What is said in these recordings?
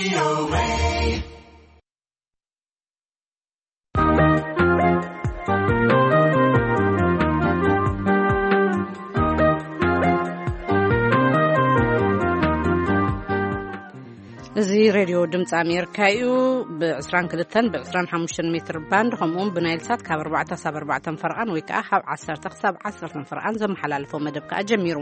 እዚ ሬድዮ ድምፂ ኣሜሪካ እዩ። ብ22 ብ25 ሜትር ባንድ፣ ከምኡውን ብናይል ሳት ካብ ኣርባዕተ ክሳብ ኣርባዕተ ፈርቓን ወይ ከዓ ካብ ዓሰርተ ክሳብ ዓሰርተ ፈርቓን ዘመሓላልፎ መደብ ከዓ ጀሚሩ።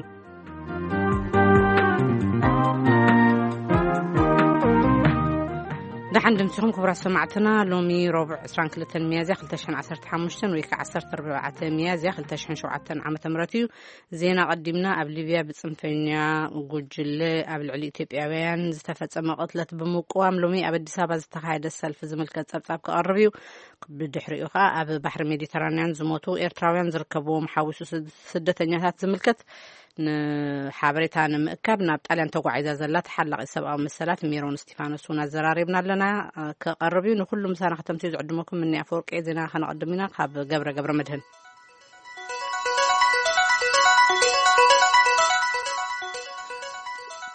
ደሓን ድምፂኹም ክቡራት ሰማዕትና። ሎሚ ረቡዕ ዕስራን ክልተን ሚያዝያ ክልተ ሽሕን ዓሰርተ ሓሙሽተን ወይ ከዓ ዓሰርተ ኣርባዕተ ሚያዝያ ክልተ ሽሕን ሸውዓተን ዓመተ ምህረት እዩ። ዜና ቀዲምና። ኣብ ሊብያ ብጽንፈኛ ጉጅለ ኣብ ልዕሊ ኢትዮጵያውያን ዝተፈጸመ ቅትለት ብምቅዋም ሎሚ ኣብ ኣዲስ ኣበባ ዝተኻየደ ሰልፊ ዝምልከት ጸብጻብ ክቐርብ እዩ። ብድሕሪኡ ኸኣ ኣብ ባሕሪ ሜዲተራንያን ዝሞቱ ኤርትራውያን ዝርከብዎም ሓዊሱ ስድ-፣ ስደተኛታት ዝምልከት ንሓበሬታ ንምእካብ ናብ ጣልያን ተጓዒዛ ዘላ ተሓላቒት ሰብኣዊ መሰላት ሜሮን እስቲፋኖስ እውን ኣዘራሪብና ኣለና። ክቐርብ እዩ። ንኹሉ ምሳና ከተምስዩ ዝዕድመኩም ምኒ ኣፈወርቂ። ዜና ከነቐድም ኢና ካብ ገብረ ገብረ መድህን።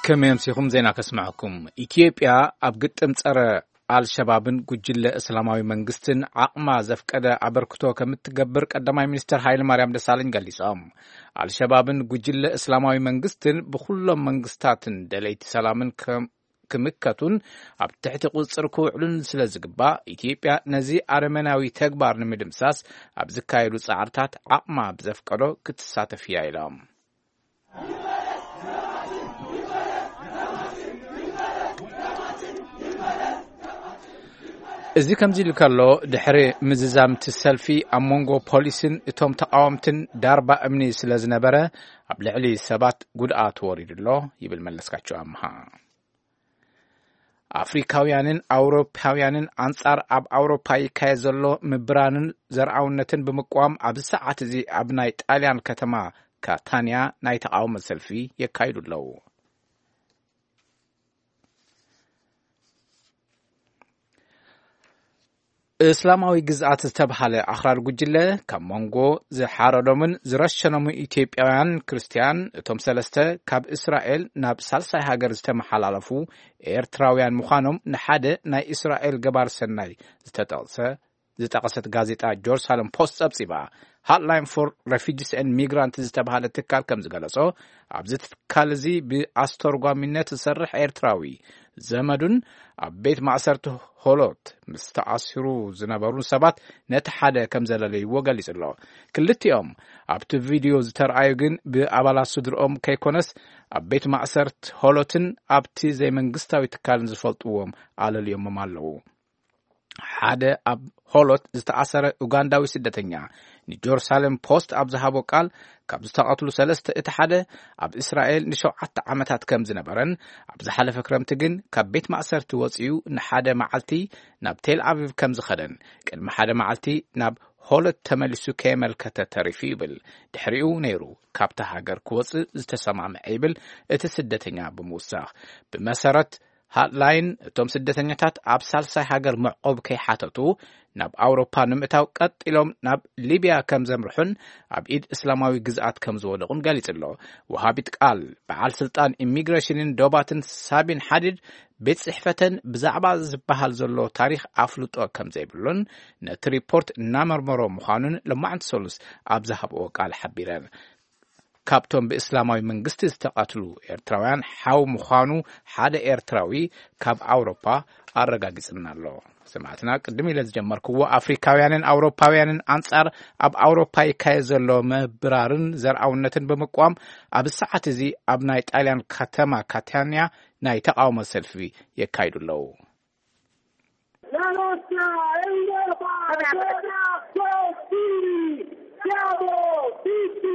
ከመይ ኣምሲኹም? ዜና ከስምዐኩም። ኢትዮጵያ ኣብ ግጥም ጸረ ኣልሸባብን ጉጅለ እስላማዊ መንግስትን ዓቕማ ዘፍቀደ ኣበርክቶ ከም እትገብር ቀዳማይ ሚኒስትር ሃይለ ማርያም ደሳለኝ ገሊጾም። ኣልሸባብን ጉጅለ እስላማዊ መንግስትን ብኹሎም መንግስታትን ደለይቲ ሰላምን ከም ክምከቱን ኣብ ትሕቲ ቁጽጽር ክውዕሉን ስለ ዝግባእ፣ ኢትዮጵያ ነዚ ኣረመናዊ ተግባር ንምድምሳስ ኣብ ዝካየዱ ጻዕርታት ዓቕማ ብዘፍቀዶ ክትሳተፍ እያ ኢሎም። እዚ ከምዚ ኢሉ ከሎ፣ ድሕሪ ምዝዛምቲ ሰልፊ ኣብ መንጎ ፖሊስን እቶም ተቃወምትን ዳርባ እምኒ ስለ ዝነበረ፣ ኣብ ልዕሊ ሰባት ጉድኣት ወሪዱ ኣሎ ይብል መለስካቸው ኣምሃ። ኣፍሪካውያንን ኣውሮፓውያንን ኣንጻር ኣብ ኣውሮፓ ይካየድ ዘሎ ምብራንን ዘርኣውነትን ብምቅዋም ኣብዚ ሰዓት እዚ ኣብ ናይ ጣልያን ከተማ ካታንያ ናይ ተቃውሞ ሰልፊ የካይዱ ኣለዉ። እስላማዊ ግዝኣት ዝተብሃለ ኣኽራሪ ጉጅለ ካብ መንጎ ዝሓረዶምን ዝረሸኖምን ኢትዮጵያውያን ክርስትያን፣ እቶም ሰለስተ ካብ እስራኤል ናብ ሳልሳይ ሃገር ዝተመሓላለፉ ኤርትራውያን ምዃኖም ንሓደ ናይ እስራኤል ገባር ሰናይ ዝተጠቕሰ፣ ዝጠቐሰት ጋዜጣ ጀሩሳሌም ፖስት ጸብጺባ። ሃትላይን ፎር ሬፊጂስ ኤንድ ሚግራንት ዝተብሃለ ትካል ከም ዝገለጾ፣ ኣብዚ ትካል እዚ ብኣስተርጓሚነት ዝሰርሕ ኤርትራዊ ዘመዱን ኣብ ቤት ማእሰርቲ ሆሎት ምስ ተኣሲሩ ዝነበሩ ሰባት ነቲ ሓደ ከም ዘለለይዎ ገሊጹ ኣሎ። ክልቲኦም ኣብቲ ቪድዮ ዝተርኣዩ ግን ብኣባላት ስድርኦም ከይኮነስ ኣብ ቤት ማእሰርቲ ሆሎትን ኣብቲ ዘይመንግስታዊ ትካልን ዝፈልጥዎም ኣለልዮሞም ኣለዉ። ሓደ ኣብ ሆሎት ዝተኣሰረ ኡጋንዳዊ ስደተኛ ንጀሩሳሌም ፖስት ኣብ ዝሃቦ ቃል፣ ካብ ዝተቐትሉ ሰለስተ እቲ ሓደ ኣብ እስራኤል ንሸውዓተ ዓመታት ከም ዝነበረን፣ ኣብ ዝሓለፈ ክረምቲ ግን ካብ ቤት ማእሰርቲ ወጺኡ ንሓደ መዓልቲ ናብ ቴል ኣቪቭ ከም ዝኸደን፣ ቅድሚ ሓደ መዓልቲ ናብ ሆሎት ተመሊሱ ከየመልከተ ተሪፉ ይብል። ድሕሪኡ ነይሩ ካብታ ሃገር ክወጽእ ዝተሰማምዐ ይብል እቲ ስደተኛ ብምውሳኽ። ብመሰረት ሃትላይን፣ እቶም ስደተኛታት ኣብ ሳልሳይ ሃገር መዕቆብ ከይሓተቱ ናብ ኣውሮፓ ንምእታው ቀጢሎም ናብ ሊብያ ከም ዘምርሑን ኣብ ኢድ እስላማዊ ግዝኣት ከም ዝወደቑን ገሊጹ ኣሎ። ወሃቢት ቃል በዓል ስልጣን ኢሚግሬሽንን ዶባትን ሳቢን ሓዲድ፣ ቤት ጽሕፈተን ብዛዕባ ዝበሃል ዘሎ ታሪኽ ኣፍልጦ ከም ዘይብሉን ነቲ ሪፖርት እናመርመሮ ምዃኑን ሎማዕንቲ ሰሉስ ኣብ ዝሃብኦ ቃል ሓቢረን። ካብቶም ብእስላማዊ መንግስቲ ዝተቐትሉ ኤርትራውያን ሓው ምዃኑ ሓደ ኤርትራዊ ካብ ኣውሮፓ ኣረጋጊጽና ኣሎ። ሰማዕትና፣ ቅድም ኢለ ዝጀመርክዎ፣ ኣፍሪካውያንን ኣውሮፓውያንን ኣንጻር ኣብ ኣውሮፓ ይካየድ ዘሎ ምብራርን ዘርኣውነትን ብምቅዋም ኣብ ሰዓት እዚ ኣብ ናይ ጣልያን ከተማ ካታንያ ናይ ተቃውሞ ሰልፊ የካይዱ ኣለዉ። La lotta è Europa, Europa, forti, siamo tutti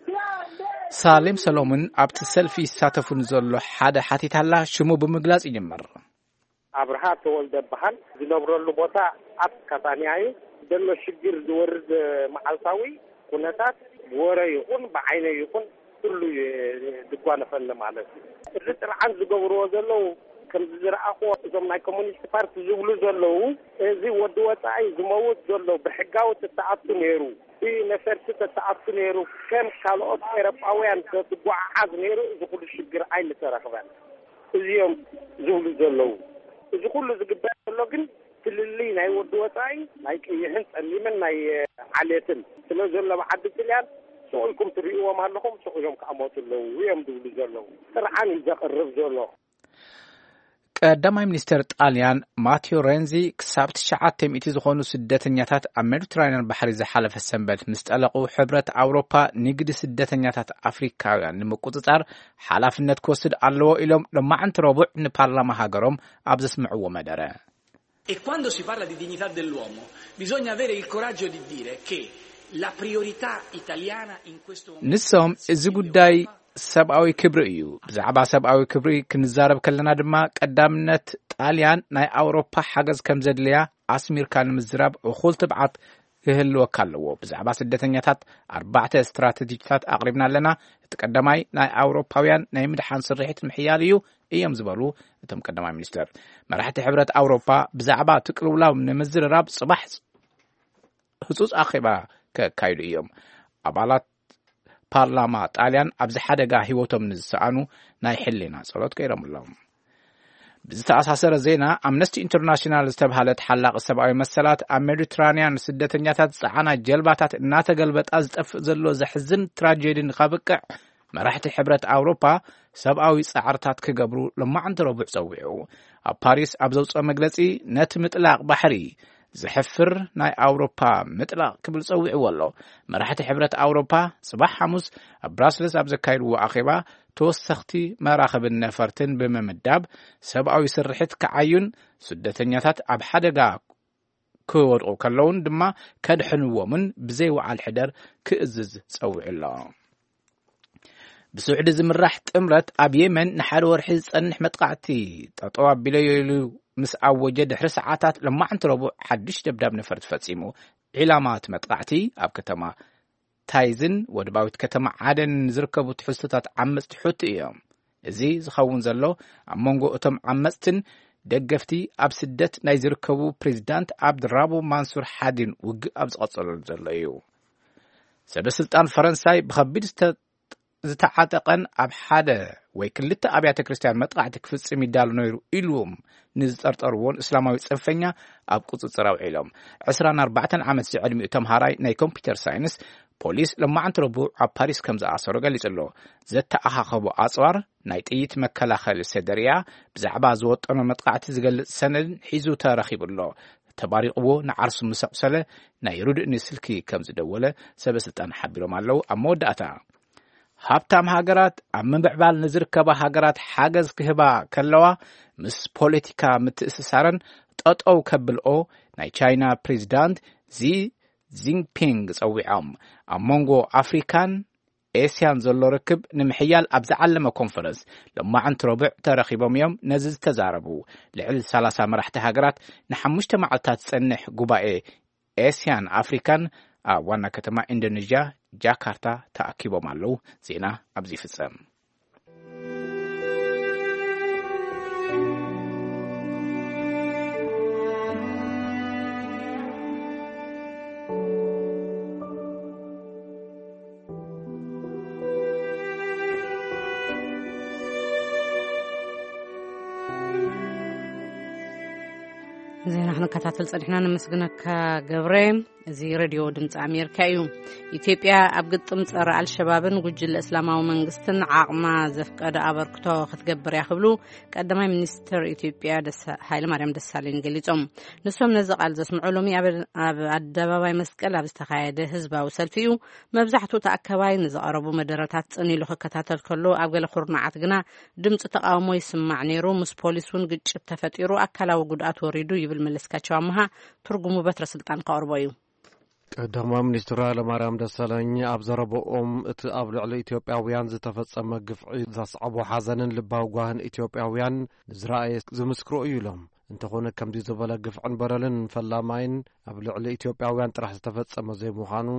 grandi. ሳሌም ሰሎሞን ኣብቲ ሰልፊ ይሳተፉ ንዘሎ ሓደ ሓቲታላ ሽሙ ብምግላጽ ይጅምር። ኣብርሃ ተወልደ በሃል። ዝነብረሉ ቦታ ኣብ ካታንያ እዩ። ዘሎ ሽግር ዝወርድ መዓልታዊ ኩነታት ብወረ ይኹን ብዓይነ ይኹን ኩሉ ይ-፣ ድጓነፈኒ ማለት እዩ። እዚ ጥርዓን ዝገብርዎ ዘለዉ፣ ከምዚ ዝረኣኽዎ፣ እዞም ናይ ኮሙኒስት ፓርቲ ዝብሉ ዘለዉ፣ እዚ ወዲ ወጻኢ ዝመውት ዘሎ ብሕጋዊ ተተኣቱ ነይሩ፣ ብነፈርቲ ተተኣቱ ነይሩ፣ ከም ካልኦት ኤሮጳውያን ተትጓዓዓዝ ነይሩ፣ እዚ ኩሉ ሽግር ኣይምተረኽበን። እዚኦም ዝብሉ ዘለዉ። እዚ ኩሉ ዝግበር ዘሎ ግን ፍልልይ ናይ ወዲ ወፃኢ፣ ናይ ቀይሕን ጸሊምን ናይ ዓሌትን ስለ ዘሎ፣ ብዓዲ ጥልያን ሱቕ ኢልኩም ትርእይዎም ኣለኹም፣ ሱቕ ኢሎም ክኣመቱ ኣለዉ እዮም ዝብሉ ዘለዉ። ጥርዓን እዩ ዘቕርብ ዘሎ። ቀዳማይ ሚኒስተር ጣልያን ማቴዮ ሬንዚ ክሳብ ትሽዓተ ሚእቲ ዝኾኑ ስደተኛታት ኣብ ሜዲትራንያን ባሕሪ ዝሓለፈ ሰንበት ምስ ጠለቑ፣ ሕብረት ኣውሮፓ ንግዲ ስደተኛታት ኣፍሪካውያን ንምቁጽጻር ሓላፍነት ክወስድ ኣለዎ ኢሎም ሎማዕንቲ ረቡዕ ንፓርላማ ሃገሮም ኣብ ዘስምዕዎ መደረ። E quando si parla di dignità dell'uomo, bisogna avere il coraggio di dire che la priorità italiana in questo momento ንሶም እዚ ጉዳይ ሰብኣዊ ክብሪ እዩ። ብዛዕባ ሰብኣዊ ክብሪ ክንዛረብ ከለና ድማ ቀዳምነት ጣልያን ናይ ኣውሮፓ ሓገዝ ከም ዘድልያ ኣስሚርካ ንምዝራብ እኹል ትብዓት ክህልወካ ኣለዎ። ብዛዕባ ስደተኛታት ኣርባዕተ ስትራተጂታት ኣቕሪብና ኣለና። እቲ ቀዳማይ ናይ ኣውሮፓውያን ናይ ምድሓን ስርሒት ምሕያል እዩ እዮም ዝበሉ እቶም ቀዳማይ ሚኒስተር። መራሕቲ ሕብረት ኣውሮፓ ብዛዕባ እቲ ቅልውላው ንምዝርራብ ጽባሕ ህጹጽ ኣኼባ ከካይዱ እዮም። ኣባላት ፓርላማ ጣልያን ኣብዚ ሓደጋ ህይወቶም ንዝሰኣኑ ናይ ሕሊና ጸሎት ገይሮምሎም። ብዝተኣሳሰረ ዜና፣ ኣምነስቲ ኢንተርናሽናል ዝተብሃለ ተሓላቒ ሰብኣዊ መሰላት ኣብ ሜዲትራንያን ስደተኛታት ዝጸዓና ጀልባታት እናተገልበጣ ዝጠፍእ ዘሎ ዘሕዝን ትራጀዲ ንኸብቅዕ መራሕቲ ሕብረት ኣውሮፓ ሰብኣዊ ጻዕርታት ክገብሩ ሎማዕንቲ ረቡዕ ጸዊዑ። ኣብ ፓሪስ ኣብ ዘውጽኦ መግለጺ፣ ነቲ ምጥላቕ ባሕሪ ዘሕፍር ናይ ኣውሮፓ ምጥላቕ ክብል ጸዊዕዎ ኣሎ። መራሕቲ ሕብረት ኣውሮፓ ጽባሕ ሓሙስ ኣብ ብራስለስ ኣብ ዘካይድዎ ኣኼባ፣ ተወሰኽቲ መራኽብን ነፈርትን ብምምዳብ ሰብኣዊ ስርሒት ክዓዩን ስደተኛታት ኣብ ሓደጋ ክወድቑ ከለውን ድማ ከድሕንዎምን ብዘይ ወዓል ሕደር ክእዝዝ ጸዊዑ ኣሎ። ብስዑዲ ዝምራሕ ጥምረት ኣብ የመን ንሓደ ወርሒ ዝጸንሕ መጥቃዕቲ ጠጠው ኣቢለዮ ኢሉ ምስ ኣወጀ ድሕሪ ሰዓታት፣ ሎማዕንቲ ረቡዕ ሓድሽ ደብዳብ ነፈርቲ ፈጺሙ። ዒላማ እቲ መጥቃዕቲ ኣብ ከተማ ታይዝን ወደባዊት ከተማ ዓደንን ዝርከቡ ትሕዝቶታት ዓመጽቲ ሑቲ እዮም። እዚ ዝኸውን ዘሎ ኣብ መንጎ እቶም ዓመጽትን ደገፍቲ ኣብ ስደት ናይ ዝርከቡ ፕሬዚዳንት ኣብድራቡ ማንሱር ሓዲን ውግእ ኣብ ዝቐጸለሉ ዘሎ እዩ። ሰበ ስልጣን ፈረንሳይ ብኸቢድ ዝተ-፣ ዝተዓጠቐን ኣብ ሓደ ወይ ክልተ ኣብያተ ክርስቲያን መጥቃዕቲ ክፍጽም ይዳሎ ነይሩ ኢልዎም ንዝጠርጠርዎን እስላማዊ ጽንፈኛ ኣብ ቁጽጽር ኣውዒሎም። ዕስራን ኣርባዕተን ዓመት ዝዕድሚኡ ተምሃራይ ናይ ኮምፒውተር ሳይንስ ፖሊስ ሎማዕንቲ ረቡዕ ኣብ ፓሪስ ከም ዝኣሰሮ ገሊጹ ኣሎ። ዘተኣኻኸቦ ኣጽዋር ናይ ጥይት መከላኸሊ ሰደርያ ብዛዕባ ዝወጠኖ መጥቃዕቲ ዝገልጽ ሰነድን ሒዙ ተረኺቡ ኣሎ። ተባሪቕዎ ንዓርሱ ምስ ኣቑሰለ ናይ ርድእኒ ስልኪ ከም ዝደወለ ሰበ ስልጣን ሓቢሮም ኣለዉ። ኣብ መወዳእታ፣ ሃብታም ሃገራት ኣብ ምምዕባል ንዝርከባ ሃገራት ሓገዝ ክህባ ከለዋ፣ ምስ ፖለቲካ ምትእስሳረን ጠጠው ከብልኦ ናይ ቻይና ፕሬዚዳንት ዚ ጂንፒንግ ጸዊዖም። ኣብ መንጎ ኣፍሪካን ኤስያን ዘሎ ርክብ ንምሕያል ኣብ ዝዓለመ ኮንፈረንስ ሎማዕንቲ ረቡዕ ተረኺቦም እዮም ነዚ ዝተዛረቡ። ልዕሊ ሰላሳ መራሕቲ ሃገራት ንሓሙሽተ መዓልታት ዝጸንሕ ጉባኤ ኤስያን ኣፍሪካን ኣብ ዋና ከተማ ኢንዶኔዥያ ጃካርታ ተኣኪቦም ኣለዉ። ዜና ኣብዚ ይፍጸም። ዜና ክንከታተል ጸኒሕና፣ ነመስግነካ ገብረ። እዚ ሬድዮ ድምፂ ኣሜሪካ እዩ። ኢትዮጵያ ኣብ ግጥም ጸረ ኣልሸባብን ጉጅለ እስላማዊ መንግስትን ዓቕማ ዘፍቀደ ኣበርክቶ ክትገብር እያ ክብሉ ቀዳማይ ሚኒስትር ኢትዮጵያ ደሳ-፣ ሃይለማርያም ደሳለኝ ገሊጾም። ንሶም ነዚ ቃል ዘስምዑ ሎሚ ኣብ፣ ኣብ ኣደባባይ መስቀል ኣብ ዝተኻየደ ህዝባዊ ሰልፊ እዩ። መብዛሕትኡ ተኣከባይ ንዝቐረቡ መደረታት ጽን ኢሉ ክከታተል ከሎ፣ ኣብ ገለ ኩርናዓት ግና ድምፂ ተቃውሞ ይስማዕ ነይሩ። ምስ ፖሊስ እውን ግጭት ተፈጢሩ፣ ኣካላዊ ጉድኣት ወሪዱ ይብል መለስካቸው ኣመሃ። ትርጉሙ በትረ ስልጣን ከቕርቦ እዩ። ቀዳማይ ሚኒስትር ሃይለማርያም ደሳለኝ ኣብ ዘረባኦም፣ እቲ ኣብ ልዕሊ ኢትዮጵያውያን ዝተፈጸመ ግፍዒ ዘስዓቦ ሓዘንን ልባዊ ጓህን ኢትዮጵያውያን ንዝረኣየ ዝምስክሮ እዩ ኢሎም። እንተኾነ፣ ከምዚ ዝበለ ግፍዕን በደልን ፈላማይን ኣብ ልዕሊ ኢትዮጵያውያን ጥራሕ ዝተፈጸመ ዘይምዃኑ፣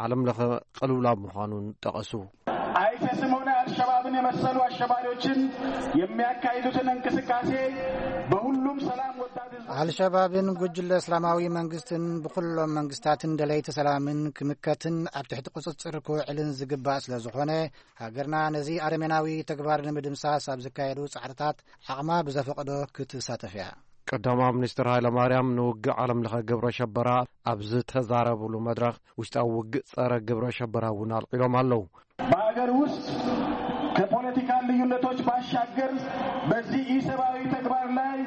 ዓለም ለኸ ቅልውላው ምዃኑን ጠቐሱ። ኣይሲስን ሆነ አልሸባብን የመሰሉ አሸባሪዎችን የሚያካሂዱትን እንቅስቃሴ በሁሉም ሰላም ወዳድ ህዝብ አልሸባብን ጉጅለ እስላማዊ መንግስትን ብኩሎም መንግስታትን ደለይቲ ሰላምን ክምከትን ኣብ ትሕቲ ቁጽጽር ክውዕልን ዝግባእ ስለ ዝኾነ፣ ሃገርና ነዚ ኣረሜናዊ ተግባር ንምድምሳስ ኣብ ዝካየዱ ጻዕርታት ዓቕማ ብዘፈቕዶ ክትሳተፍ እያ። ቀዳማዊ ሚኒስትር ሃይለማርያም ንውግእ ዓለም ለኸ ግብረ ሸበራ ኣብ ዝተዛረብሉ መድረኽ፣ ውሽጣዊ ውግእ ጸረ ግብረ ሸበራ እውን ኣልዒሎም ኣለዉ። በሀገር ውስጥ ከፖለቲካል ልዩነቶች ባሻገር በዚህ ኢሰብአዊ ተግባር ላይ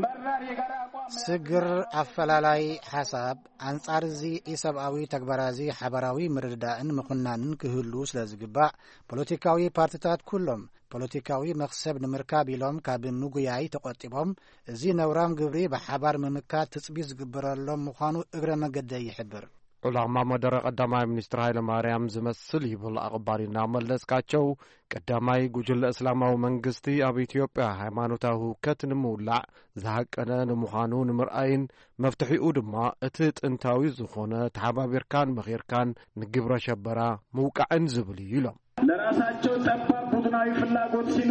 መራር የጋራ አቋም ስግር ኣፈላላይ ሓሳብ ኣንጻር እዚ ኢሰብኣዊ ተግባራ እዚ ሓባራዊ ምርድዳእን ምኹናንን ክህሉ ስለ ዝግባእ፣ ፖለቲካዊ ፓርትታት ኩሎም ፖለቲካዊ መኽሰብ ንምርካብ ኢሎም ካብ ምጉያይ ተቖጢቦም፣ እዚ ነውራም ግብሪ ብሓባር ምምካት ትጽቢት ዝግበረሎም ምዃኑ እግረ መገደይ ይሕብር። ዕላማ መደረ ቀዳማይ ሚኒስትር ሃይለ ማርያም ዝመስል ይብል ኣቕባሊና መለስካቸው። ቀዳማይ ጉጅለ እስላማዊ መንግስቲ ኣብ ኢትዮጵያ ሃይማኖታዊ ህውከት ንምውላዕ ዝሃቀነ ንምዃኑ ንምርኣይን መፍትሒኡ ድማ እቲ ጥንታዊ ዝኾነ ተሓባቢርካን መኺርካን ንግብረ ሸበራ ምውቃዕን ዝብል እዩ ኢሎም። ለራሳቸው ጠባብ ቡድናዊ ፍላጎት ሲሉ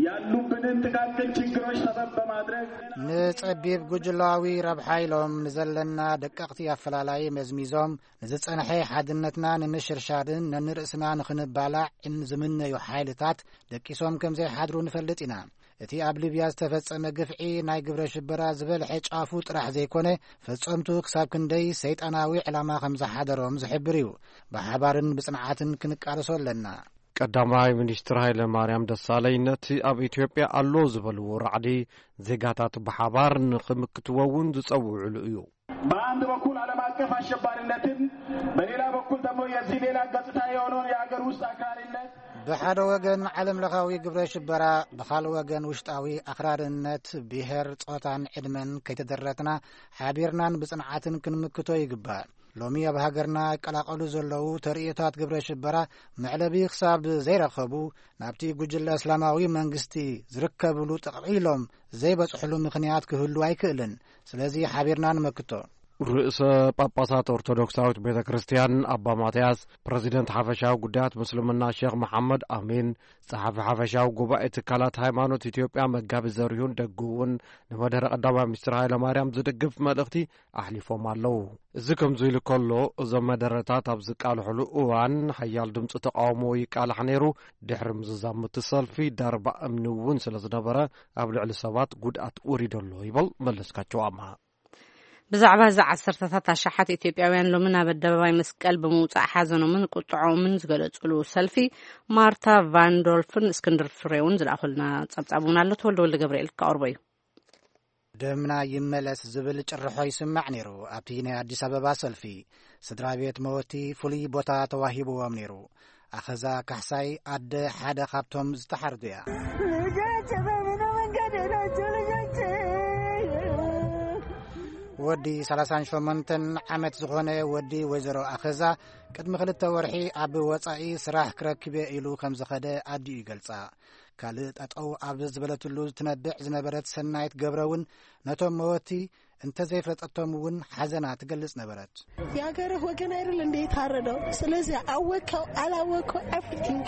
ያሉብንን ጥቃቅን ችግሮች ሰበብ በማድረግ ንጸቢብ ጉጅላዊ ረብሓ ኢሎም ንዘለና ደቀቕቲ ኣፈላላይ መዝሚዞም ንዝጸንሐ ሓድነትና ንምሽርሻርን ነንርእስና ንኽንባላዕን ዝምነዩ ሓይልታት ደቂሶም ከም ዘይሓድሩ ንፈልጥ ኢና። እቲ ኣብ ሊብያ ዝተፈጸመ ግፍዒ ናይ ግብረ ሽበራ ዝበልሐ ጫፉ ጥራሕ ዘይኮነ፣ ፈጸምቱ ክሳብ ክንደይ ሰይጣናዊ ዕላማ ከም ዝሓደሮም ዝሕብር እዩ። ብሓባርን ብጽንዓትን ክንቃለሶ ኣለና። ቀዳማይ ሚኒስትር ሃይለ ማርያም ደሳለኝ ነቲ ኣብ ኢትዮጵያ ኣሎ ዝበልዎ ራዕዲ ዜጋታት ብሓባር ንኽምክትዎ እውን ዝጸውዕሉ እዩ። በአንድ በኩል ዓለም አቀፍ አሸባሪነትን በሌላ በኩል ደግሞ የዚህ ሌላ ገጽታ የሆነውን የሀገር ውስጥ አክራሪነት ብሓደ ወገን ዓለም ለኻዊ ግብረ ሽበራ፣ ብኻልእ ወገን ውሽጣዊ ኣኽራርነት ብሄር፣ ጾታን ዕድመን ከይተደረትና ሓቢርናን ብጽንዓትን ክንምክቶ ይግባእ። ሎሚ ኣብ ሃገርና ይቀላቐሉ ዘለዉ ተርእዮታት ግብረ ሽበራ መዕለቢ ክሳብ ዘይረኸቡ ናብቲ ጉጅለ እስላማዊ መንግስቲ ዝርከብሉ ጠቕሊሎም ዘይበጽሕሉ ምኽንያት ክህሉ ኣይክእልን። ስለዚ ሓቢርና ንመክቶ። ርእሰ ጳጳሳት ኦርቶዶክሳዊት ቤተ ክርስቲያን ኣባ ማትያስ፣ ፕረዚደንት ሓፈሻዊ ጉዳያት ምስልምና ሼኽ መሓመድ ኣሚን፣ ጸሓፊ ሓፈሻዊ ጉባኤ ትካላት ሃይማኖት ኢትዮጵያ መጋቢ ዘሪሁን ደጉ እውን ንመደረ ቀዳማይ ሚኒስትር ሃይለማርያም ዝድግፍ መልእኽቲ ኣሕሊፎም ኣለዉ። እዚ ከምዚ ኢሉ ከሎ፣ እዞም መደረታት ኣብ ዝቃልሕሉ እዋን ሓያል ድምፂ ተቃውሞ ይቃላሕ ነይሩ። ድሕሪ ምዝዛም እቲ ሰልፊ ዳርባ እምኒ እውን ስለ ዝነበረ ኣብ ልዕሊ ሰባት ጉድኣት ወሪዶ ኣሎ ይበል መለስካቸው ኣምሃ። ብዛዕባ እዚ ዓሰርተታት ኣሽሓት ኢትዮጵያውያን ሎሚ ናብ ኣደባባይ መስቀል ብምውጻእ ሓዘኖምን ቁጥዖምን ዝገለጹሉ ሰልፊ ማርታ ቫንዶልፍን እስክንድር ፍሬውን ዝለኣኹልና ጸብጻብ እውን ኣሎ። ተወልደ ወልደ ገብርኤል ክቀርቦ እዩ። ደምና ይመለስ ዝብል ጭርሖ ይስማዕ ነይሩ ኣብቲ ናይ ኣዲስ ኣበባ ሰልፊ። ስድራ ቤት መወቲ ፍሉይ ቦታ ተዋሂብዎም ነይሩ። ኣኸዛ ካሕሳይ ኣደ ሓደ ካብቶም ዝተሓርዱ እያ። ልጆች በምን መንገድ ናቸው ልጆች? ወዲ ሰላሳን ሸሞንተን ዓመት ዝኾነ ወዲ ወይዘሮ ኣኸዛ ቅድሚ ክልተ ወርሒ ኣብ ወጻኢ ስራሕ ክረክብ እየ ኢሉ ከም ዝኸደ ኣዲኡ ይገልጻ። ካልእ ጠጠው ኣብ ዝበለትሉ ትነብዕ ዝነበረት ሰናይት ገብረ እውን ነቶም መወቲ እንተዘይፈለጠቶም እውን ሓዘና ትገልጽ ነበረት። የሀገርህ ወገን አይደል እንደ የታረደው? ስለዚህ አወቀው አላወቀው everything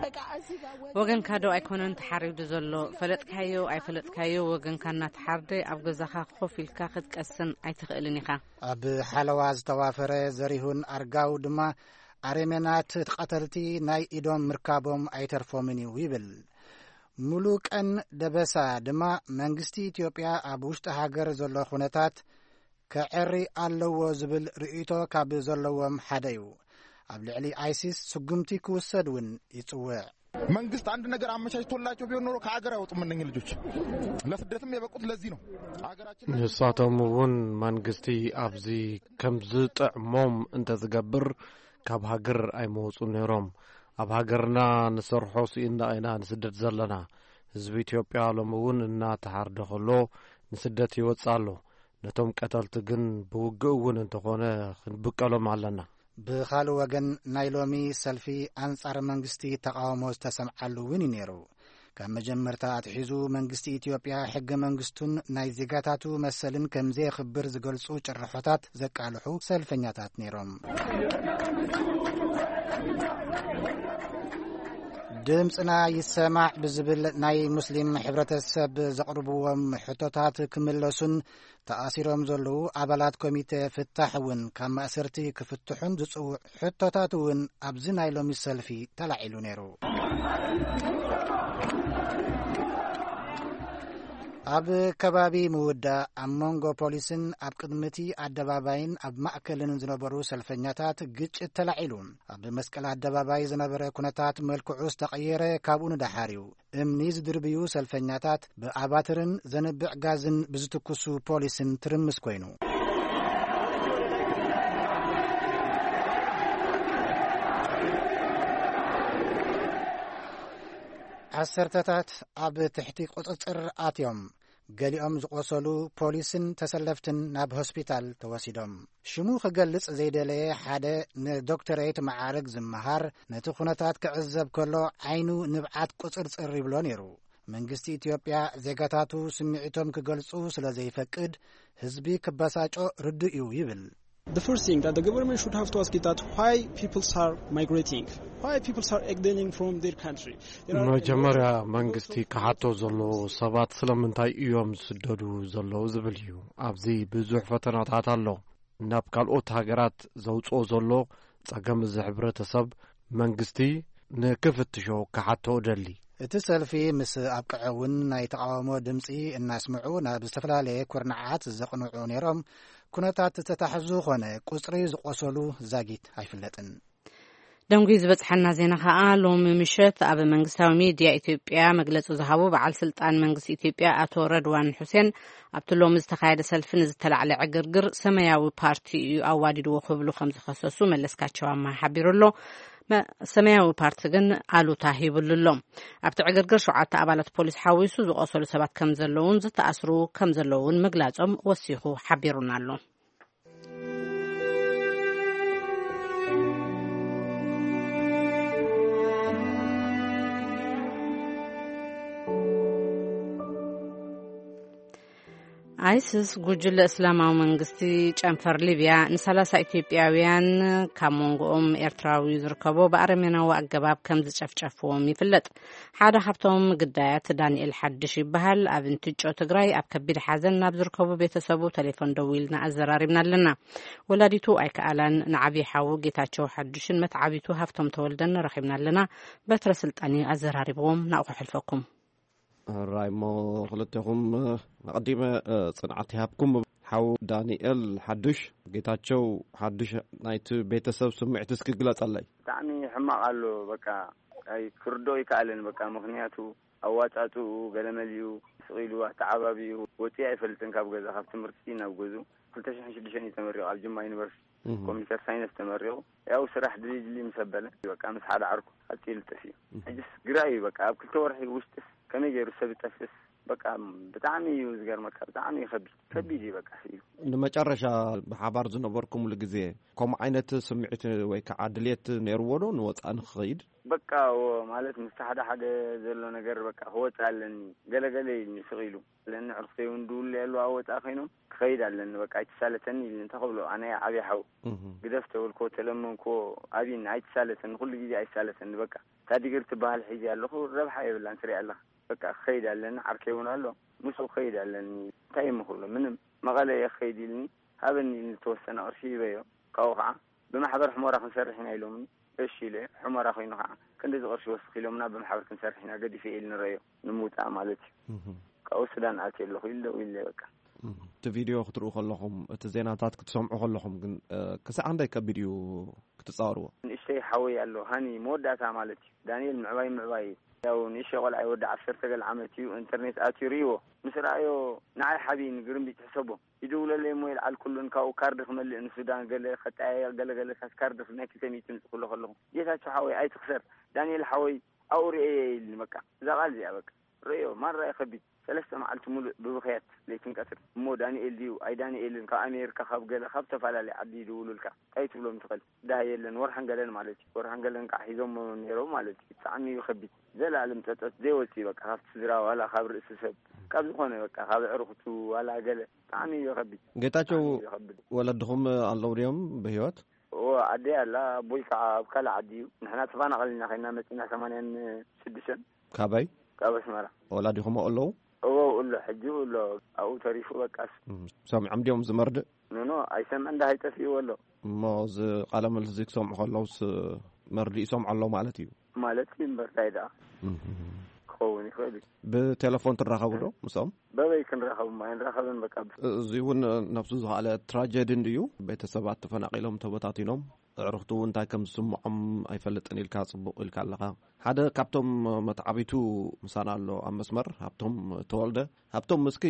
በቃ እዚህ ጋር ወገን ወገንካ ዶ ኣይኮነን ተሓሪዱ ዘሎ? ፈለጥካዮ ኣይፈለጥካዮ ወገንካ እናተሓርደ ኣብ ገዛኻ ኮፍ ኢልካ ክትቀስን ኣይትኽእልን ኢኻ። ኣብ ሓለዋ ዝተዋፈረ ዘሪሁን ኣርጋው ድማ ኣረሜናት ቀተልቲ ናይ ኢዶም ምርካቦም ኣይተርፎምን እዩ ይብል። ሙሉቀን ደበሳ ድማ መንግስቲ ኢትዮጵያ ኣብ ውሽጢ ሃገር ዘሎ ኩነታት ከዐሪ ኣለዎ ዝብል ርእይቶ ካብ ዘለዎም ሓደ እዩ። ኣብ ልዕሊ ኣይሲስ ስጉምቲ ክውሰድ እውን ይጽውዕ። መንግስት አንድ ነገር አመቻችቶላቸው ቢሆን ኖሮ ከሀገር አይወጡም እነኝህ ልጆች። ለስደትም የበቁት ለዚህ ነው። ሀገራችን ንሳቶም እውን መንግስቲ ኣብዚ ከም ዝጥዕሞም እንተዝገብር ካብ ሃገር ኣይመወጹን ነይሮም። ኣብ ሃገርና ንሰርሖ ስኢንና ኢና ንስደድ ዘለና። ህዝቢ ኢትዮጵያ ሎሚ እውን እናተሓርደ ከሎ ንስደት ይወጽእ ኣሎ። ነቶም ቀተልቲ ግን ብውግእ እውን እንተኾነ ክንብቀሎም ኣለና። ብኻልእ ወገን ናይ ሎሚ ሰልፊ ኣንጻር መንግስቲ ተቓውሞ ዝተሰምዓሉ እውን እዩ ነይሩ። ካብ መጀመርታ ኣትሒዙ መንግስቲ ኢትዮጵያ ሕገ መንግስቱን ናይ ዜጋታቱ መሰልን ከም ዘየኽብር ዝገልጹ ጭርሖታት ዘቃልሑ ሰልፈኛታት ነይሮም። ድምፅና ይሰማዕ ብዝብል ናይ ሙስሊም ሕብረተሰብ ዘቕርብዎም ሕቶታት ክምለሱን ተኣሲሮም ዘለዉ ኣባላት ኮሚቴ ፍታሕ እውን ካብ ማእሰርቲ ክፍትሑን ዝጽውዕ ሕቶታት እውን ኣብዚ ናይ ሎሚ ሰልፊ ተላዒሉ ነይሩ። ኣብ ከባቢ ምውዳእ ኣብ መንጎ ፖሊስን ኣብ ቅድሚ እቲ ኣደባባይን ኣብ ማእከልን ዝነበሩ ሰልፈኛታት ግጭት ተላዒሉ። ኣብ መስቀል ኣደባባይ ዝነበረ ኩነታት መልክዑ ዝተቐየረ ካብኡ ንደሓር እዩ። እምኒ ዝድርብዩ ሰልፈኛታት ብኣባትርን ዘንብዕ ጋዝን ብዝትኩሱ ፖሊስን ትርምስ ኮይኑ። ዓሰርተታት ኣብ ትሕቲ ቁጽጽር ኣትዮም። ገሊኦም ዝቖሰሉ ፖሊስን ተሰለፍትን ናብ ሆስፒታል ተወሲዶም። ሽሙ ክገልጽ ዘይደለየ ሓደ ንዶክተሬት መዓርግ ዝመሃር፣ ነቲ ኩነታት ክዕዘብ ከሎ ዓይኑ ንብዓት ቁጽርጽር ይብሎ ነይሩ። መንግስቲ ኢትዮጵያ ዜጋታቱ ስምዒቶም ክገልጹ ስለ ዘይፈቅድ ህዝቢ ክበሳጮ ርዱእ እዩ ይብል። The first thing that the government should have to ask is that why people are migrating, why people are exiling from their country. There are a lot of መጀመርያ መንግስቲ ክሓቶ ዘለዎ ሰባት ስለምንታይ እዮም ዝስደዱ ዘለዉ ዝብል እዩ። ኣብዚ ብዙሕ ፈተናታት ኣሎ። ናብ ካልኦት ሃገራት ዘውፅኦ ዘሎ ጸገም እዚ ሕብረተሰብ መንግስቲ ንክፍትሾ ክሓቶ እደሊ። እቲ ሰልፊ ምስ ኣብቅዐ እውን ናይ ተቓውሞ ድምፂ እናስምዑ ናብ ዝተፈላለየ ኩርናዓት ዘቕንዑ ነይሮም። ኩነታት ዝተታሕዙ ኾነ ቁፅሪ ዝቆሰሉ ዛጊት ኣይፍለጥን። ደንጉዩ ዝበጽሐና ዜና ከኣ ሎሚ ምሸት ኣብ መንግስታዊ ሚድያ ኢትዮጵያ መግለጺ ዝሃቡ በዓል ስልጣን መንግስቲ ኢትዮጵያ ኣቶ ረድዋን ሑሴን ኣብቲ ሎሚ ዝተኻየደ ሰልፊ ንዝተላዕለ ዕግርግር ሰማያዊ ፓርቲ እዩ ኣዋዲድዎ ክብሉ ከም ዝኸሰሱ መለስካቸው ኣማሃ ሓቢሩ ኣሎ። መ-፣ ሰማያዊ ፓርቲ ግን ኣሉታ ሂብሉ ኣሎ። ኣብቲ ዕግርግር ሸውዓተ ኣባላት ፖሊስ ሓዊሱ ዝቆሰሉ ሰባት ከም ዘለውን ዝተኣስሩ ከም ዘለውን ምግላጾም ወሲኹ ሓቢሩና ኣሎ። ኣይስስ፣ ጉጅለ እስላማዊ መንግስቲ ጨንፈር ሊብያ፣ ንሰላሳ ኢትዮጵያውያን፣ ካብ መንጎኦም ኤርትራዊ ዝርከቦ፣ ብኣረሜናዊ ኣገባብ ከም ዝጨፍጨፍዎም ይፍለጥ። ሓደ ካብቶም ግዳያት ዳንኤል ሓድሽ ይበሃል። ኣብ እንትጮ ትግራይ ኣብ ከቢድ ሓዘን ናብ ዝርከቡ ቤተሰቡ ቴሌፎን ደዊልና ኣዘራሪብና ኣለና። ወላዲቱ ኣይከኣላን። ንዓብዪ ሓዉ ጌታቸው ሓድሽን መትዓቢቱ ሃፍቶም ተወልደን ረኺብና ኣለና። በትረ ስልጣን እዩ ኣዘራሪብዎም። ናብኡ ከሕልፈኩም። ሕራይ እሞ ክልቴኹም፣ ኣቐዲመ፣ ጽንዓት ይሃብኩም። ሓው ዳንኤል ሓድሽ፣ ጌታቸው ሓድሽ፣ ናይቲ ቤተሰብ ስምዒት እስኪ ግለጸለይ። ብጣዕሚ ሕማቕ ኣሎ። በቃ ኣይ ክርዶ ይከኣልን። በቃ ምኽንያቱ ኣዋጻጽኡ ገለመሊኡ ስቕ ኢሉ ኣተዓባቢኡ ወጺኡ ኣይፈልጥን ካብ ገዛ፣ ካብ ትምህርቲ ናብ ገዙ። ክልተ ሽሕን ሽዱሽተን እዩ ተመሪቑ ኣብ ጅማ ዩኒቨርሲቲ። እህ። ኮምፒውተር ሳይንስ ተመሪቑ። ያው ስራሕ ድልይ ድልይ ምስ ኣበለ በቃ ምስ ሓደ ዓርኩ ቀጺሉ ጠፊኡ። እህ። ሕጅስ ግራ እዩ በቃ ኣብ ክልተ ወርሒ ውሽጥስ ከመይ ገይሩ ሰብ ይጠፍእስ? በቃ ብጣዕሚ እዩ ዝገርመካ፣ ብጣዕሚ እዩ ከቢድ፣ ከቢድ እዩ በቃ ስኢሉ። ንመጨረሻ ብሓባር ዝነበርኩምሉ ግዜ ከምኡ ዓይነት ስምዒት ወይ ከዓ ድልየት ነይርዎ ዶ ንወፃኢ ንክኸይድ? በቃ እዎ፣ ማለት ምስቲ ሓደ ሓደ ዘሎ ነገር በቃ ክወፅእ ኣለኒ፣ ገለገለ ኢልኒ ስቕ ኢሉ። ለኒ ዕርክተይ እውን ድውሉ ያሉ ኣብ ወፃኢ ኮይኖም ክኸይድ ኣለኒ፣ በቃ ኣይትሳለተኒ ኢልኒ። እንታይ ክብሎ፣ ኣነ ዓብዪ ሓው እህ። ግደፍ ተበልኮ፣ ተለመንኮ፣ ኣብይኒ፣ ኣይትሳለተኒ፣ ኩሉ ግዜ ኣይሳለተኒ። በቃ እታ ዲግሪ ትበሃል ሒዘ ኣለኹ፣ ረብሓ የብላን፣ ትሪኣ ኣለኻ። በቃ ክኸይድ ኣለኒ፣ ዓርከይ እውን ኣሎ፣ ምስኡ ክኸይድ ኣለኒ። እንታይ እሞ ክብሎ፣ ምንም፣ መቐለ እየ ክኸይድ ኢልኒ፣ ሃበኒ ኢልኒ፣ ዝተወሰነ ቅርሺ ሂበዮ። ካብኡ ከዓ ብማሕበር ሕሞራ ክንሰርሕ ኢና ኢሎምኒ። እሺ ኢለ፣ ሕሞራ ኮይኑ ከዓ ክንድዚ ቅርሺ ወስኽ ኢሎምና፣ ብማሕበር ክንሰርሕ ኢና፣ ገዲፈ ኢልኒ ረዮ፣ ንምውፃእ ማለት እዩ። እህ። ካብኡ ሱዳን ኣትየ ኣለኹ ኢሉ ደው ኢለ በቃ። እህ። እቲ ቪድዮ ክትርእዩ ከለኹም፣ እቲ ዜናታት ክትሰምዑ ከለኹም ግን፣ እ፣ ክሳዕ ክንደይ ከቢድ እዩ ክትጻወርዎ? ንእሽተይ ሓወይ ኣሎ፣ ሃኒ፣ መወዳእታ ማለት እዩ። ዳንኤል ምዕባይ ምዕባይ እዩ። ያው ንእሽተይ ቆልዓ እዩ፣ ወዲ ዓሰርተ ገለ ዓመት እዩ። ኢንተርኔት ኣትዩ ርእይዎ። ምስ ረኣዮ ንዓይ ሓብይኒ፣ ግርምቢጥ ሕሰቦ። ይድውለለይ እሞ ይልዓል ኩሉን ካብኡ ካርድ ክመልእ ንሱዳን ገለ ከጠያየቕ ገለ ገለታት ካርድ ናይ ክልተ ሚእቲ ምጽእ ክብሎ ከለኹ፣ ጌታቸው ሓወይ ኣይትኽሰር፣ ዳንኤል ሓወይ ኣብኡ ርእየ ኢልኒ። በቃ እዛ ቃል እዚኣ በቃ ርእዮ ማራ እዩ ከቢድ። ሰለስተ መዓልቲ ሙሉእ ብብኽያት ለይትን ቀትርን። እሞ ዳንኤል ድዩ ኣይ ዳንኤልን ካብ ኣሜሪካ ካብ ገለ ካብ ዝተፈላለየ ዓዲ ይድውሉልካ። እንታይ ትብሎም ትኽእል? ዳ የለን ወርሓን ገለን ማለት እዩ። ወርሓን ገለን ከዓ ሒዞሞ ነይሮም ማለት እዩ። ብጣዕሚ እዩ ከቢድ። ዘላለም ጸጸት ዘይወጽእ በቃ ካብቲ ስድራ ዋላ ካብ ርእሲ ሰብ ካብ ዝኾነ በቃ ካብ ኣዕሩኽቱ ዋላ ገለ ብጣዕሚ እዩ ከቢድ። ጌታቸው፣ ብጣዕሚ እዩ ከቢድ። ወለድኹም ኣለዉ ድዮም ብህይወት? እዎ፣ ኣደይ ኣላ፣ ኣቦይ ከዓ ኣብ ካልእ ዓዲ እዩ። ንሕና ተፈናቐልና ኮይና መፂና ሰማንያን ሽዱሽተን። ካበይ? ካብ ኣስመራ። ወላዲኹም ኣለዉ? እዎ፣ ኣሎ፣ ሕጂ ኣሎ፣ ኣብኡ ተሪፉ በቃስ። እም፣ ሰሚዖም ድዮም ዝመርድእ? ኖኖ፣ ኣይሰምዕን፣ ደሃይ ጠፊእዎ ኣሎ። እሞ እዚ ቃለ ምልልስ እዚ ክሰምዑ ከለውስ መርድእ ይሰምዑ ኣለዉ ማለት እዩ? ማለት እዩ እምበር፣ እንታይ ደኣ? እም። ክኸውን ይኽእል እዩ። ብቴሌፎን ትራኸቡ ዶ ምስኦም? በበይ ክንራኸብም ኣይንራኸብን። በቃ እዚ እውን ነብሱ ዝኸኣለ ትራጀዲ እንድዩ። ቤተሰባት ተፈናቒሎም ተበታቲኖም፣ ኣዕሩኽቲ እውን እንታይ ከም ዝስምዖም ኣይፈልጥን ኢልካ ጽቡቕ ኢልካ ኣለኻ። ሓደ ካብቶም መተዓቢቱ ምሳና ኣሎ ኣብ መስመር፣ ሃብቶም ተወልደ። ሃብቶም፣ እስኪ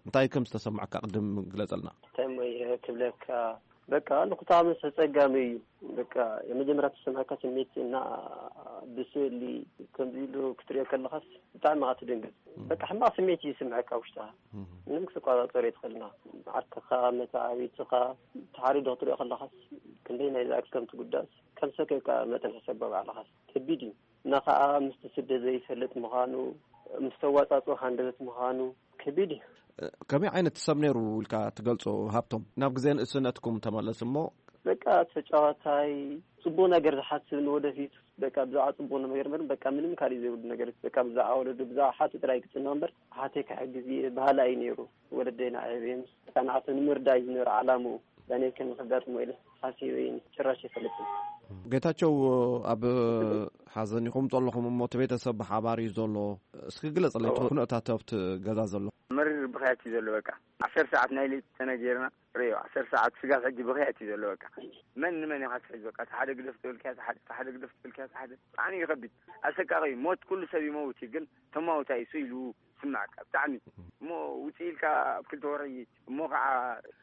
እንታይ ከም ዝተሰማዕካ ቅድም ግለጸልና። እንታይ እሞ እየ ክብለካ? በቃ ንኩታመስ ኣጸጋሚ እዩ። በቃ የመጀመርያ ተሰማዕካ ስሜት እና ብስእሊ ከምዚ ኢሉ ክትሪኦ ከለኻስ ብጣዕሚ ኢኻ ትድንግጽ። በቃ ሕማቕ ስሜት እዩ ዝስምዐካ ውሽጥኻ። ምንም ክትቆጻጸሮ ኣይትኽእልና። ዓርክኻ፣ መተዓቢትኻ ተሓሪዶ ክትሪኦ ከለኻስ ክንደይ ናይ ዝኣክል ከም ትጉዳእስ ከም ሰከካ መጠን ሕሰብ ባዕልኻስ ከቢድ እዩ። እና ኸኣ ምስቲ ስደት ዘይፈልጥ ምዃኑ፣ ምስ ተዋጻጽኦ ሃንደበት ምዃኑ ከቢድ እዩ። ከመይ ዓይነት ሰብ ነይሩ ኢልካ ትገልጾ ሃብቶም? ናብ ግዜ ንእስነትኩም ተመለስ እሞ። በቃ ተጫዋታይ፣ ጽቡቕ ነገር ዝሓስብ ንወደፊት፣ በቃ ብዛዕባ ጽቡቕ ነገር እምበር፣ በቃ ምንም ካልእ ዘይብሉ ነገር፣ በቃ ብዛዕባ ወለዱ፣ ብዛዕባ ሓቱ ጥራይ ክጽንዕ እምበር፣ ሓተይ ክሕግዝ እየ በሃላይ እዩ ነይሩ። ወለደይ ንዓይ እዮም ጸናዕቲ ንምርዳእ እዩ ዝነበረ ዓላምኡ። ዳንኤል ከመይ ከጋጥሞ ኢለ ሓሲበ ጭራሽ ኣይፈልጥን። ጌታቸው፣ ኣብ ሓዘን ኢኹም ዘለኹም እሞ እቲ ቤተሰብ ብሓባር እዩ ዘሎ። እስኪ ግለጽለይ እቲ ኩነታት ኣብቲ ገዛ ዘሎ። መሪር ብኽያት እዩ ዘሎ። በቃ ዓሰርተ ሰዓት ናይ ለይቲ ተነጊርና ርእዮ፣ ዓሰርተ ሰዓት ስጋብ ሕጂ ብኽያት እዩ ዘሎ። በቃ መን ንመን ኢኻ ትሕዝ? በቃ እቲ ሓደ ግደፍ ትብል ከያ፣ እቲ ሓደ፣ እቲ ሓደ ግደፍ ትብል ከያ፣ እቲ ሓደ። ብጣዕሚ እዩ ከቢድ። ኣሰቃቒ እዩ። ሞት ኩሉ ሰብ ይመውት እዩ፣ ግን ተማውታይ እሱ ኢሉ ስማዕካ ብጣዕሚ። እሞ ውፅእ ኢልካ ኣብ ክልተ ወርሒ እሞ ከዓ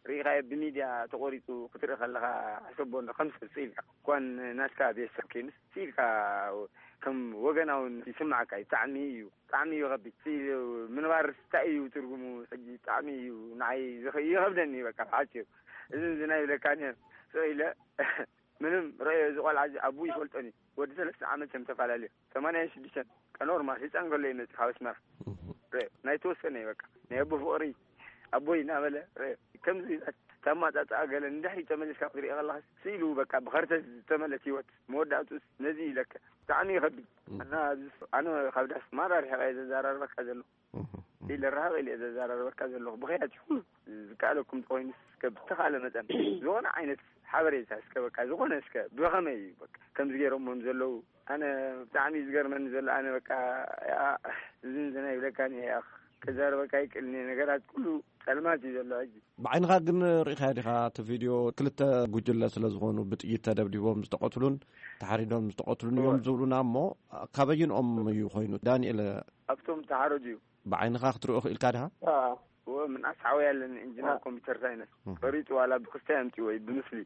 ርኢኻዮ ብሚድያ ተቆሪፁ ክትርኢ ከለኻ ሕሰቦ እንዶ ከም ሰብ ስኢልካ እኳን ናትካ ቤተሰብ ከይኑስ ስኢልካ ከም ወገናውን ይስማዕካ እዩ። ብጣዕሚ እዩ፣ ብጣዕሚ እዩ ከቢድ። ስኢሉ ምንባር እንታይ እዩ ትርጉሙ? ሕጂ ብጣዕሚ እዩ ንዓይ ዝኸ-፣ ይኸብደኒ በቃ ብሓፂሩ። እዚ እዚ ናይ ብለካ ነር ስቕ ኢለ ምንም ረዮ እዚ ቆልዓ እዚ ኣቡ ይፈልጦን እዩ። ወዲ ሰለስተ ዓመት እዮም ተፈላለዩ። ሰማንያን ሽዱሽተን ቀኖርማ ህፃን ከሎ ይመፅእ ካብ ኣስመራ። ረ ናይ ተወሰነ እዩ በቃ ናይ ኣቦ ፍቕሪ ኣቦይ እናበለ ረ ከምዚ ተማፃፃኣ ገለ ንድሕሪ ተመሊስካ ክትሪኦ ከለካ ስኢሉ በቃ ብኸርተ ዝተመለት ህይወት መወዳእቱስ ነዚ ይለከ ብጣዕሚ ይኸብድ። እና ኣብዚ ኣነ ካብ ዳስ ማራ ርሒቐ እየ ዘዘራርበካ ዘለኹ። ኢለ ራሃቕ ኢለ እየ ዘዘራርበካ ዘለኹ። ብኽያት ይኹን ዝከኣለኩም ተኾይኑ እስከ ብተኻለ መጠን ዝኾነ ዓይነት ሓበሬታ እስከ በቃ ዝኾነ እስከ ብኸመይ እዩ በቃ ከምዚ ገይሮምዎም ዘለዉ። ኣነ ብጣዕሚ እዩ ዝገርመኒ ዘሎ። ኣነ በቃ ያ ዝንዝና ይብለካ እየ። ከዛርበካ ይክእልኒ ነገራት ኩሉ ጸልማት እዩ ዘሎ ሕጂ። ብዓይንኻ ግን ርኢኻ ዲኻ እቲ ቪድዮ? ክልተ ጉጅለ ስለ ዝኾኑ ብጥይት ተደብዲቦም ዝተቐትሉን ተሓሪዶም ዝተቐትሉን እዮም ዝብሉና እሞ ካበይንኦም እዩ ኮይኑ? ዳንኤል ኣብቶም ተሓረዱ እዩ። ብዓይንኻ ክትሪኦ ክኢልካ ዲኻ? እዎ ምንኣስ ሓወይ ኣለኒ ኢንጂነር ኮምፒውተር ሳይንስ። ፈሪጡ ዋላ ብክስታይ ኣምፅዎ እዩ ብምስሊ።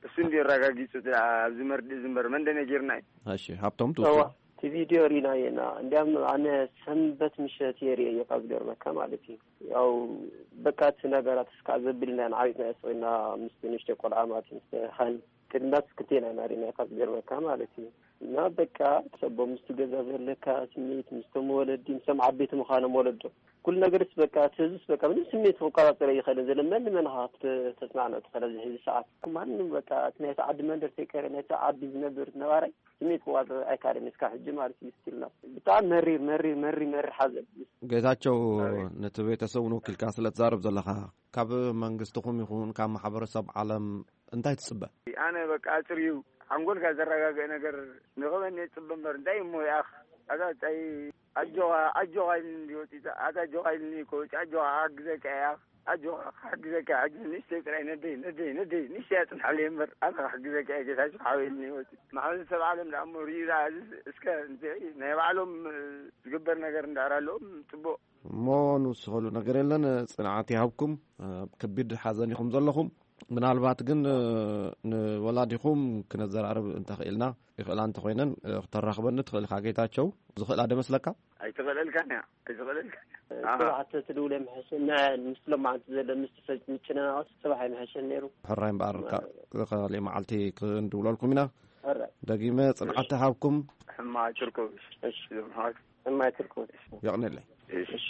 እሱ እንዲ ኣረጋጊፁ ኣብዚ መርድእ ዝንበር መን ደነጊርና እዩ። እሺ ሃብቶም እዋ ትውስድ። እቲ ቪድዮ ሪናየና እንዲያም ኣነ ሰንበት ምሸት የርእየ እዩ ካብ ገርመካ ማለት እዩ። ያው በቃ እቲ ነገራት እስካ ዘብልና ንዓቢጥና ስና ምስ ንሽተ ቆልዓ ማለት ምስ ሃን ቅድናት ክልቴና ኢና ሪናዮ ካብ ገርመካ ማለት እዩ። እና በቃ ሰቦም ምስቲ ገዛ ዘለካ ስሜት ምስቶም ወለዲ ምስቶም ዓበይቲ ምዃኖም ወለዶ ኩሉ ነገርስ በቃ እቲ ህዝብስ በቃ ምንም ስሜት ክቆጻጸር ኣይኽእልን ዘሎ። መን ንመን ኢኻ ክተ-፣ ተጽናንዑ ትኽእል ኣብዚ ሕዚ ሰዓት? ማንም በቃ እቲ ናይቲ ዓዲ መንደር ተይቀረ ናይቲ ዓዲ ዝነብር ነባራይ ስሜት ክቆጻጸር ኣይካልን እስካ ሕጂ ማለት እዩ። ስቲልና ብጣዕሚ መሪር መሪር መሪር መሪር ሓዘን። ጌታቸው፣ ነቲ ቤተሰብ ንወኪልካ ስለ ትዛረብ ዘለኻ ካብ መንግስትኹም ይኹን ካብ ማሕበረሰብ ዓለም እንታይ ትጽበ? ኣነ በቃ ኣጽርዩ ሓንጎልካ ዘረጋግእ ነገር ንኽበኒ እጽበ እምበር እንታይ እሞ ይኣኽ ኣታ ታይ ኣጆኻ ኣጆኻ ኢልኒ እንዲ ወፂ ኣታ ኣጆኻ ኢልኒ እኮ ወፂ ኣጆኻ ክሓግዘካ እየ ኣጆኻ ክሓግዘካ እየ ሕጂ ንእሽተይ ጥራይ ነደይ ነደይ ነደይ ንእሽተይ ኣፅንሓለይ እምበር ኣነ ክሕግዘካ እየ ጌታቸው ሓወይ ኢልኒ ወፂ ማሕበረሰብ ዓለም ደኣ እሞ ሪኡ ደኣ እዚ እስከ እንታይ ናይ ባዕሎም ዝግበር ነገር እንዳዕር ኣለዎም ፅቡቕ እሞ ንውስኸሉ ነገር የለን። ጽንዓት ይሃብኩም። ኣብ ከቢድ ሓዘን ኢኹም ዘለኹም። ምናልባት ግን፣ እ፣ ንወላዲኹም ክነዘራርብ እንተኽኢልና፣ ይኽእላ እንተኾይነን፣ እ፣ ክተራኽበኒ ትኽእል ኢኻ ጌታቸው። ዝኽእላ ዶ መስለካ? ኣይትኽእለልካን እያ፣ ኣይትኽእለልካን እያ። ኣሃ። ጽባሕ ተትድውለ ምሕሸ፣ ን-፣ ምስ ሎማዓንቲ ዘሎ ምስ ተሰ-፣ ምጭንናቕስ ጽባሕ ኣይምሕሸን ነይሩ። ሕራይ እምበኣር፣ ማ-፣ ካ-፣ ካልእ መዓልቲ ክንድውለልኩም ኢና። ሕራይ። ደጊመ ጽንዓት ይሃብኩም። ሕማቕ ትርከቡ። እሺ። እዞም ኣሕዋት። ሕማቕ ትርከቡ። የቕንየለይ። እሺ።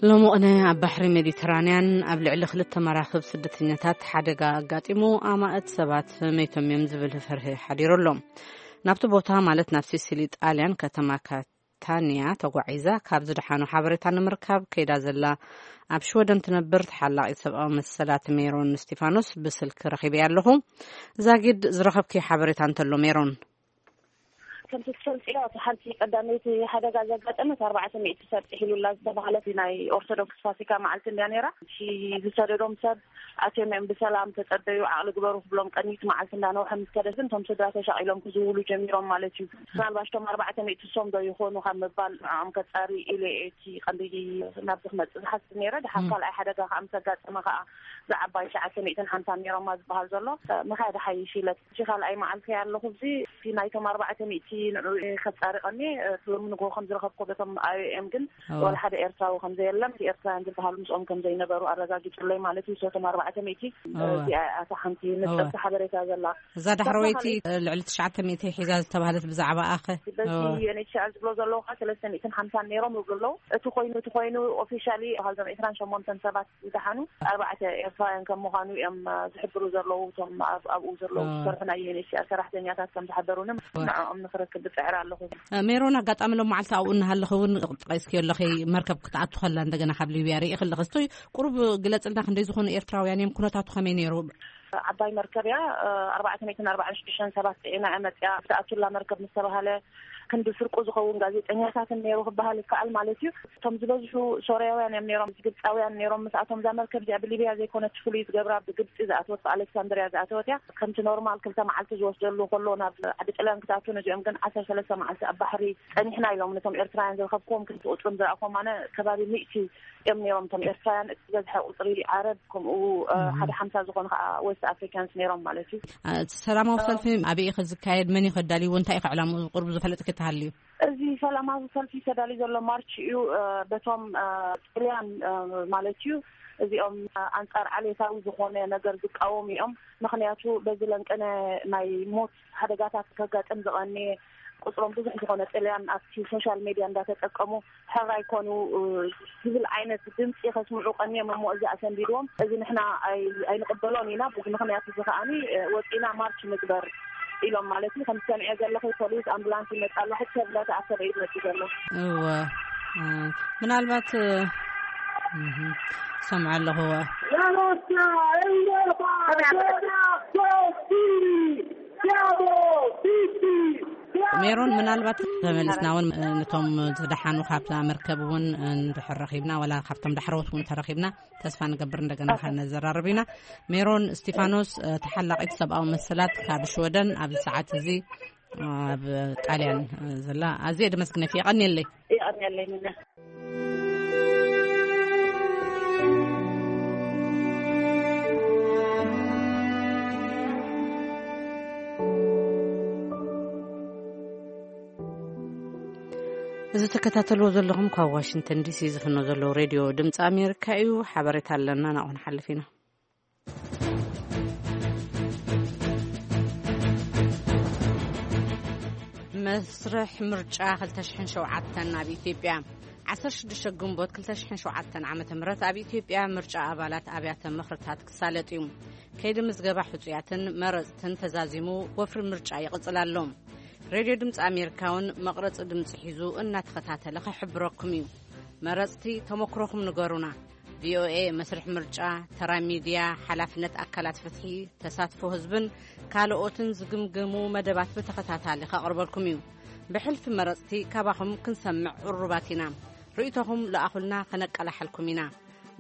ሎሚ ቅነ ኣብ ባሕሪ ሜዲተራንያን ኣብ ልዕሊ ክልተ መራኽብ ስደተኛታት ሓደጋ ኣጋጢሙ ኣማእት ሰባት መይቶም እዮም ዝብል ፍርሂ ሓዲሩ ኣሎ። ናብቲ ቦታ ማለት ናብ ሲሲሊ ጣልያን ከተማ ካ-፣ ብሪጣንያ ተጓዒዛ ካብ ዝደሓኑ ሓበሬታ ንምርካብ ከይዳ ዘላ ኣብ ሽወደን ትነብር ተሓላቒት ሰብኣዊ መሰላት ሜሮን እስቲፋኖስ ብስልኪ ረኺበያ ኣለኹ። ዛጊድ ዝረኸብክዮ ሓበሬታ እንተሎ ሜሮን። ከምቲ ትፈልጥዮ፣ እቲ ሓንቲ ቀዳመይቲ ሓደጋ ዘጋጠመት ኣርባዕተ ሚእቲ ሰብ ጥሒሉላ ዝተባህለት ናይ ኦርቶዶክስ ፋሲካ መዓልቲ እንድያ ነይራ። እቲ ዝሰደዶም ሰብ ኣትዮም እዮም ብሰላም ተጸበዩ፣ ዓቕሊ ግበሩ ክብሎም ቀኒት መዓልቲ እንዳነውሐ ምስ ከደ ግን እቶም ስድራ ተሻቒሎም ክዝውሉ ጀሚሮም ማለት እዩ። ምናልባሽ እቶም ኣርባዕተ ሚእቲ እሶም ዶ ይኾኑ ካብ ምባል ንዕኦም ከጻሪ ኢለ እየ እቲ ቀንዲ ናብዚ ክመጽእ ዝሓስብ ነይረ። ድሓር ካልኣይ ሓደጋ ከዓ ምስ ኣጋጠመ ከዓ ዝዓባይ ትሽዓተ ሚእትን ሓምሳን ነይሮማ ዝበሃል ዘሎ መኻየዲ ሓይሽ ኢለ እቲ ካልኣይ መዓልቲ ኣለኹ። እዚ እቲ ናይቶም ኣርባዕተ ሚእቲ ንዑ ከጻሪ ቀኒ እቲ ሎሚ ንግሆ ከም ዝረኸብኩ በቶም ኣይ ኦ ኤም ግን ዋላ ሓደ ኤርትራዊ ከም ዘየለን፣ እቲ ኤርትራውያን ዝበሃሉ ምስኦም ከም ዘይነበሩ ኣረጋጊጹለይ ማለት እዩ። ሰቶም ኣርባዕተ ሚእቲ እዚኣ እያ እታ ሓንቲ ንጽርቲ ሓበሬታ ዘላ። እዛ ዳሕረወይቲ ልዕሊ ትሽዓተ ሚእቲ ሒዛ ዝተባህለት ብዛዕባ ኣኸ በዚ ዩ ኤን ኤች ሲ ኣር ዝብሎ ዘለዉ ከዓ ሰለስተ ሚእትን ሓምሳን ነይሮም ይብሉ ኣለዉ። እቲ ኮይኑ እቲ ኮይኑ ኦፊሻሊ ካብዞም ዕስራን ሸሞንተን ሰባት ዝደሓኑ ኣርባዕተ ኤርትራውያን ከም ምዃኑ እዮም ዝሕብሩ ዘለዉ። እቶም ኣብኡ ዘለዉ ዝሰርሑ ናይ ዩ ኤን ኤች ሲ ኣር ሰራሕተኛታት ከም ዝሓበሩኒ ንዕኦም ንክረክብ ብፅዕር ኣለኹ። ሜሮን፣ ኣጋጣሚ ሎም መዓልቲ ኣብኡ እናሃለኺ እውን ጠቂስክዮ ኣለኺ፣ መርከብ ክትኣቱ ከላ እንደገና ካብ ሊብያ ርኢ ከለኺ እስቶይ ቁሩብ ግለፅልና፣ ክንደይ ዝኾኑ ኤርትራውያን እዮም? ኩነታቱ ከመይ ነይሩ? ዓባይ መርከብ እያ። ኣርባዕተ ሚእትን ኣርባዓን ሽዱሽተን ሰባት ፅዒና እያ መፅያ። ብትኣቱላ መርከብ ምስ ተባሃለ ክንዲ ፍርቁ ዝኸውን ጋዜጠኛታትን ነይሩ ክበሃል ይከኣል ማለት እዩ። እቶም ዝበዝሑ ሶርያውያን እዮም ነይሮም፣ ግብፃውያን ነይሮም። ምስኣቶም እዛ መርከብ እዚኣ ብሊብያ ዘይኮነት ፍሉይ ዝገብራ ብግብፂ ዝኣተወት ብኣሌክሳንድርያ ዝኣተወት እያ። ከምቲ ኖርማል ክልተ መዓልቲ ዝወስደሉ ከሎ ናብ ዓዲ ጥልያን ክትኣቱ፣ ነዚኦም ግን ዓሰርተ ሰለስተ መዓልቲ ኣብ ባሕሪ ፀኒሕና ኢሎም። ነቶም ኤርትራውያን ዝረኸብክዎም ክንዲ ቁፅሮም ዝረኣኹዎም ኣነ ከባቢ ሚእቲ እዮም ነይሮም እቶም ኤርትራውያን። እቲ ዝበዝሐ ቁፅሪ ዓረብ ከምኡ ሓደ ሓምሳ ዝኾኑ ከዓ ዌስት ኣፍሪካንስ ነይሮም ማለት እዩ። ሰላማዊ ሰልፊ ኣበይ እዩ ዝካየድ? መን እዩ ከዳልይዎ? እንታይ እዩ ዕላምኡ? ቁሩብ ዝፈለጥኪ ተሃልዩ? እዚ ሰላማዊ ሰልፊ ተዳልዩ ዘሎ ማርች እዩ። በቶም ጥልያን ማለት እዩ። እዚኦም ኣንጻር ዓሌታዊ ዝኾነ ነገር ዝቃወሙ እዮም። ምኽንያቱ በዚ ለንቀነ ናይ ሞት ሓደጋታት ከጋጥም ዝቐነየ ቁፅሮም ብዙሕ ዝኾነ ጥልያን ኣብቲ ሶሻል ሜድያ እንዳተጠቀሙ ሕራይ ኮኑ ዝብል ዓይነት ድምፂ ከስምዑ ቀኒዮም እሞ እዚ ኣሰንቢድዎም። እዚ ንሕና ኣይንቕበሎን ኢና። በዚ ምኽንያት እዚ ከዓኒ ወፂና ማርች ንግበር ኢሎም ማለት እዩ። ከም ትሰምዕዮ ዘለኺ ፖሊስ ኣምቡላንስ ይመፅእ ኣሎ። ሕጂ ተብላ ተኣከበ እዩ ዝመፅእ ዘሎ። እወ ምናልባት ሰምዐ ኣለኹ። እወ ሜሮን፣ ምናልባት ተመልስና እውን ነቶም ዝደሓኑ ካብታ መርከብ እውን እንድሕር ረኺብና፣ ዋላ ካብቶም ዳሕረዎት እውን ተረኺብና ተስፋ ንገብር እንደገና ከነዘራርብ ኢና። ሜሮን እስቲፋኖስ፣ ተሓላቒት ሰብኣዊ መሰላት ካብ ሽወደን ኣብዚ ሰዓት እዚ ኣብ ጣልያን ዘላ፣ ኣዝየ ደመስግነኪ። የቐንየለይ። የቐንየለይ። እዚ ትከታተልዎ ዘለኹም ካብ ዋሽንግተን ዲሲ ዝፍኖ ዘለዉ ሬድዮ ድምፂ ኣሜሪካ እዩ። ሓበሬታ ኣለና፣ ናብኡ ንሓልፍ ኢና። መስርሕ ምርጫ ክልተ ሽሕን ሸውዓተን ኣብ ኢትዮጵያ። ዓሰርተ ሽዱሽተ ግንቦት ክልተ ሽሕን ሸውዓተን ዓመተ ምህረት ኣብ ኢትዮጵያ ምርጫ ኣባላት ኣብያተ ምኽርታት ክሳለጥ እዩ። ከይዲ ምዝገባ ሕጹያትን መረጽትን ተዛዚሙ ወፍሪ ምርጫ ይቕጽል ኣሎ። ሬድዮ ድምፂ ኣሜሪካ እውን መቕረፂ ድምፂ ሒዙ እናተኸታተለ ክሕብረኩም እዩ። መረፅቲ ተመክሮኹም ንገሩና። ቪኦኤ መስርሕ ምርጫ፣ ተራ ሚድያ፣ ሓላፍነት ኣካላት ፍትሒ፣ ተሳትፎ ህዝብን ካልኦትን ዝግምግሙ መደባት ብተኸታታሊ ከቕርበልኩም እዩ። ብሕልፊ መረፅቲ ካባኹም ክንሰምዕ ቅሩባት ኢና። ርእይቶኹም ለኣኹልና፣ ከነቀላሕልኩም ኢና።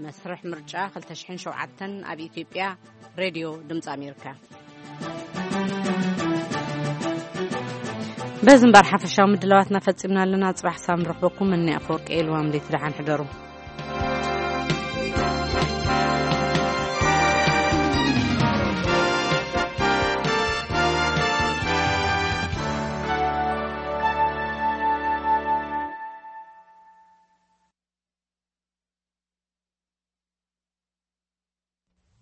መስርሕ ምርጫ ክልተ ሽሕን ሸውዓተን ኣብ ኢትዮጵያ። ሬድዮ ድምፂ ኣሜሪካ። በዚ እምበር ሓፈሻዊ ምድላዋትና ፈጺምና ኣለና። ጽባሕ ሳም ንረኽበኩም። እኒ ኣፈወርቂ ኤልዋም ደይቲ ደሓን ሕደሩ።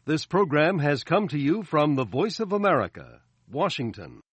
This program has come to you from the Voice of America, Washington.